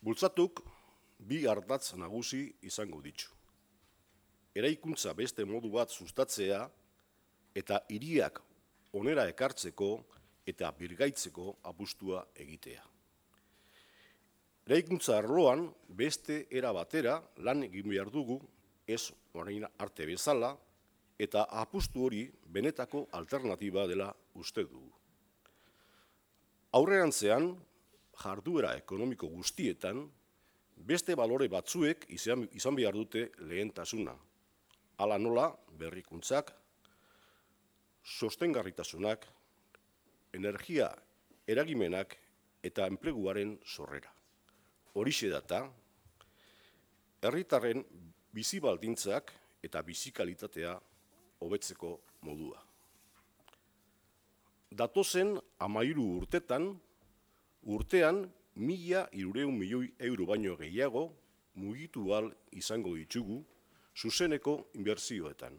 Bultzatuk bi ardatz nagusi izango ditu. Eraikuntza beste modu bat sustatzea eta hiriak onera ekartzeko eta birgaitzeko apustua egitea. Eraikuntza arloan beste era batera lan egin behar dugu, ez orain arte bezala, eta apustu hori benetako alternatiba dela uste dugu. Aurrerantzean, jarduera ekonomiko guztietan, beste balore batzuek izan behar dute lehentasuna. Hala nola, berrikuntzak, sostengarritasunak, energia eragimenak eta enpleguaren sorrera. Horixe data, herritarren bizi baldintzak eta bizi kalitatea hobetzeko modua. Datozen 13 urtetan, urtean 1.300 milioi euro baino gehiago mugitu ahal izango ditugu zuzeneko inbertsioetan.